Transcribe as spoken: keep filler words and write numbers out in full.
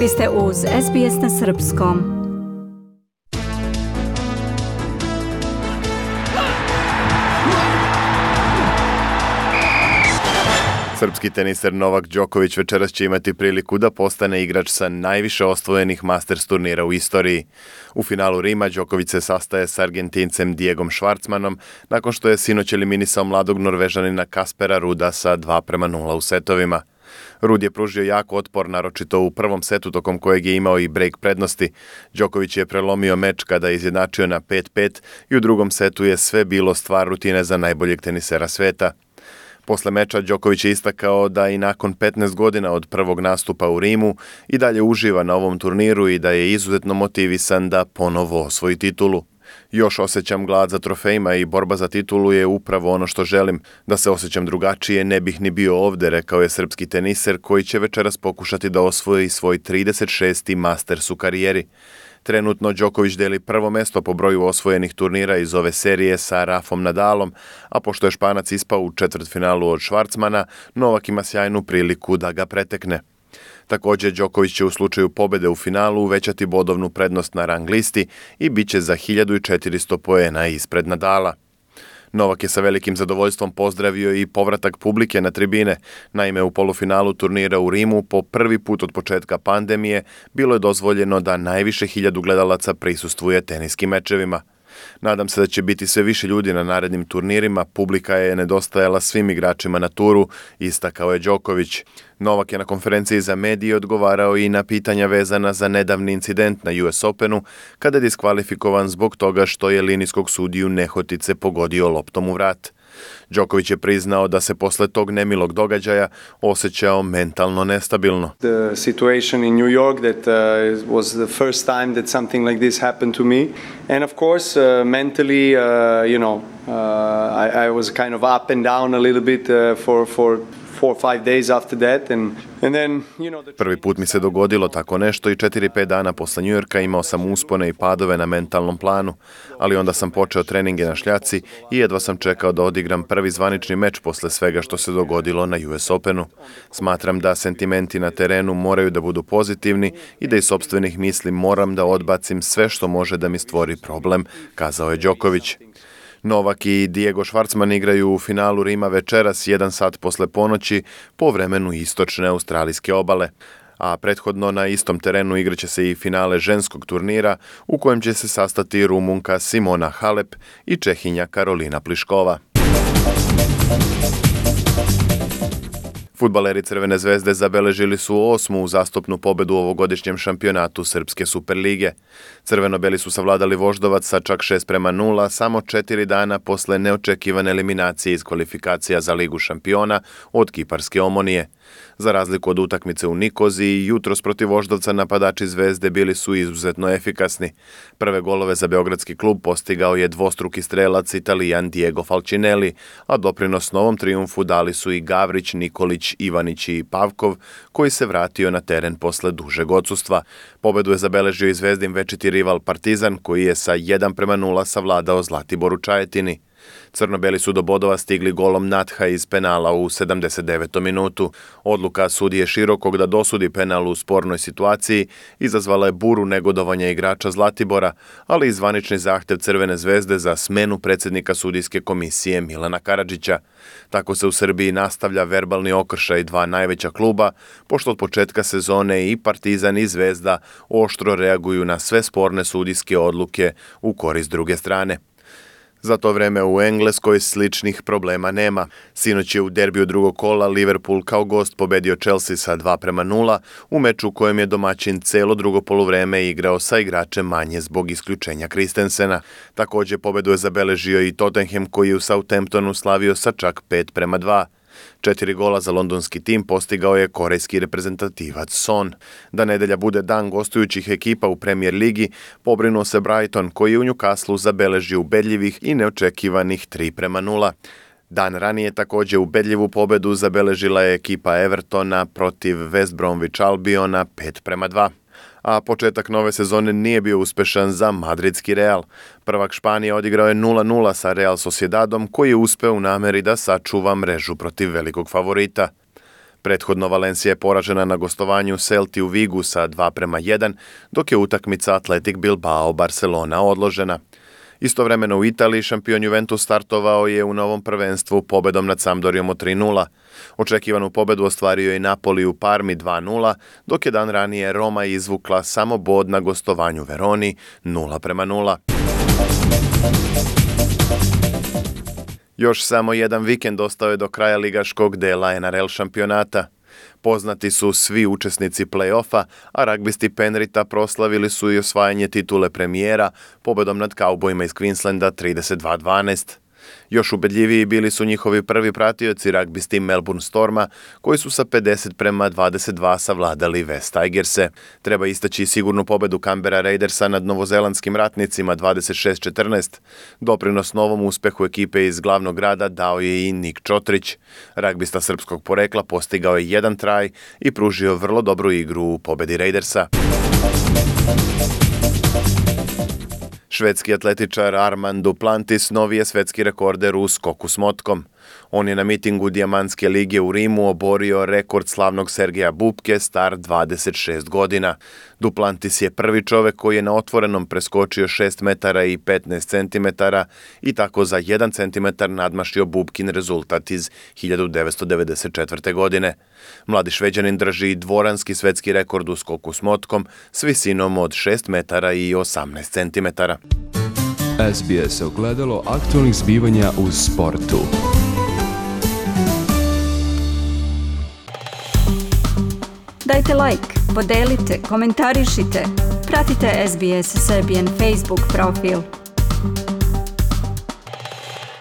Vi ste uz S B S na srpskom. Srpski teniser Novak Đoković večeras će imati priliku da postane igrač sa najviše osvojenih Masters turnira u istoriji. U finalu Rima Đoković se sastaje s Argentincem Diegom Schwartzmanom nakon što je sinoć eliminisao mladog Norvežanina Kaspera Ruda sa dva prema nula u setovima. Rud je pružio jak otpor, naročito u prvom setu tokom kojeg je imao i break prednosti. Đoković je prelomio meč kada je izjednačio na pet pet i u drugom setu je sve bilo stvar rutine za najboljeg tenisera sveta. Posle meča Đoković je istakao da i nakon petnaest godina od prvog nastupa u Rimu i dalje uživa na ovom turniru i da je izuzetno motivisan da ponovo osvoji titulu. Još osjećam glad za trofejima i borba za titulu je upravo ono što želim. Da se osjećam drugačije ne bih ni bio ovde, rekao je srpski teniser koji će večeras pokušati da osvoji svoj trideset šesti Masters u karijeri. Trenutno Đoković deli prvo mesto po broju osvojenih turnira iz ove serije sa Rafom Nadalom, a pošto je Španac ispao u četvrtfinalu od Schwartzmana, Novak ima sjajnu priliku da ga pretekne. Također, Đoković će u slučaju pobede u finalu uvećati bodovnu prednost na rang listi i bit će za hiljadu četiristo poena ispred Nadala. Novak je sa velikim zadovoljstvom pozdravio i povratak publike na tribine. Naime, u polufinalu turnira u Rimu po prvi put od početka pandemije bilo je dozvoljeno da najviše hiljadu gledalaca prisustvuje teniskim mečevima. Nadam se da će biti sve više ljudi na narednim turnirima, publika je nedostajala svim igračima na turu, istakao je Đoković. Novak je na konferenciji za medije odgovarao i na pitanja vezana za nedavni incident na U S Openu, kada je diskvalifikovan zbog toga što je linijskog sudiju nehotice pogodio loptom u vrat. Đoković je priznao da se posle tog nemilog događaja osjećao mentalno nestabilno. The situation in New York that uh, was the first time that something like this happened to me, and of course uh, mentally uh, you know uh, I, I was kind of up and down a little bit uh, for for four or five days after that and and then you know the... Prvi put mi se dogodilo tako nešto i četiri pet dana posle Njujorka imao sam uspone i padove na mentalnom planu, ali onda sam počeo treninge na šljaci i jedva sam čekao da odigram prvi zvanični meč posle svega što se dogodilo na U S Openu. Smatram da sentimenti na terenu moraju da budu pozitivni i da iz sopstvenih misli moram da odbacim sve što može da mi stvori problem, kazao je Đoković. Novak i Diego Schwartzman igraju u finalu Rima večeras jedan sat posle ponoći po vremenu istočne australijske obale. A prethodno na istom terenu igraće se i finale ženskog turnira u kojem će se sastati Rumunka Simona Halep i Čehinja Karolina Pliškova. Fudbaleri Crvene zvezde zabeležili su osmu uzastopnu pobedu u ovogodišnjem šampionatu Srpske Superlige. Crveno-beli su savladali Voždovac sa čak šest prema nula samo četiri dana posle neočekivane eliminacije iz kvalifikacija za Ligu šampiona od Kiparske Omonije. Za razliku od utakmice u Nikoziji, jutros protiv Voždovca napadači Zvezde bili su izuzetno efikasni. Prve golove za beogradski klub postigao je dvostruki strelac Italijan Diego Falcinelli, a doprinos novom trijumfu dali su i Gavrić, Nikolić, Ivanić i Pavkov, koji se vratio na teren posle dužeg odsustva. Pobedu je zabeležio i Zvezdin večiti rival Partizan, koji je sa jedan prema nula savladao Zlatibor u Čajetini. Crno-beli su do bodova stigli golom Natha iz penala u sedamdeset devetom minutu. Odluka sudije Širokog da dosudi penal u spornoj situaciji izazvala je buru negodovanja igrača Zlatibora, ali i zvanični zahtev Crvene zvezde za smenu predsjednika sudijske komisije Milana Karadžića. Tako se u Srbiji nastavlja verbalni okršaj dva najveća kluba, pošto od početka sezone i Partizan i Zvezda oštro reaguju na sve sporne sudijske odluke u korist druge strane. Za to vreme u Engleskoj sličnih problema nema. Sinoć je u derbiju drugog kola Liverpool kao gost pobedio Chelsea sa dva prema nula u meču u kojem je domaćin celo drugo poluvreme igrao sa igračem manje zbog isključenja Christensena. Također pobedu je zabeležio i Tottenham koji je u Southamptonu slavio sa čak pet prema dva. Četiri gola za londonski tim postigao je korejski reprezentativac Son. Da nedelja bude dan gostujućih ekipa u Premier ligi, pobrinuo se Brighton koji je u Newcastlu zabeležio ubedljivih i neočekivanih tri prema nula. Dan ranije također ubedljivu pobedu zabeležila je ekipa Evertona protiv West Bromwich Albiona pet prema dva. A početak nove sezone nije bio uspešan za madridski Real. Prvak Španije odigrao je nula nula sa Real Sociedadom koji je uspeo u nameri da sačuva mrežu protiv velikog favorita. Prethodno Valencija je poražena na gostovanju Celti u Vigu sa dva prema jedan, dok je utakmica Athletic Bilbao Barcelona odložena. Istovremeno u Italiji šampion Juventus startovao je u novom prvenstvu pobedom nad Sampdorijom od tri nula. Očekivanu pobedu ostvario je Napoli u Parmi dva nula, dok je dan ranije Roma izvukla samo bod na gostovanju Veroni nula prema nula. Još samo jedan vikend ostao je do kraja ligaškog dela N R L šampionata. Poznati su svi učesnici play-offa, a ragbisti Penrita proslavili su i osvajanje titule premijera pobedom nad Kaubojima iz Queenslanda trideset dva dvanaest. Još ubedljiviji bili su njihovi prvi pratioci ragbisti Melbourne Storma, koji su sa pedeset prema dvadeset dva savladali West Tigerse. Treba istaći sigurnu pobedu Canberra Raidersa nad novozelandskim ratnicima dvadeset šest četrnaest. Doprinos novom uspehu ekipe iz glavnog grada dao je i Nik Čotrić. Ragbista srpskog porekla postigao je jedan traj i pružio vrlo dobru igru u pobedi Raidersa. Švedski atletičar Armand Duplantis novi je svetski rekorder u skoku s motkom. On je na mitingu Dijamantske lige u Rimu oborio rekord slavnog Sergeja Bubke star dvadeset šest godina. Duplantis je prvi čovek koji je na otvorenom preskočio šest metara i petnaest centimetara i tako za jedan centimetar nadmašio Bubkin rezultat iz hiljadu devetsto devedeset četvrte. godine. Mladi Šveđanin drži dvoranski svetski rekord u skoku s motkom s visinom od šest metara i osamnaest centimetara. S B S ogledalo aktualnih zbivanja u sportu. Dajte like, podelite, komentarišite. Pratite S B S Serbian Facebook profil.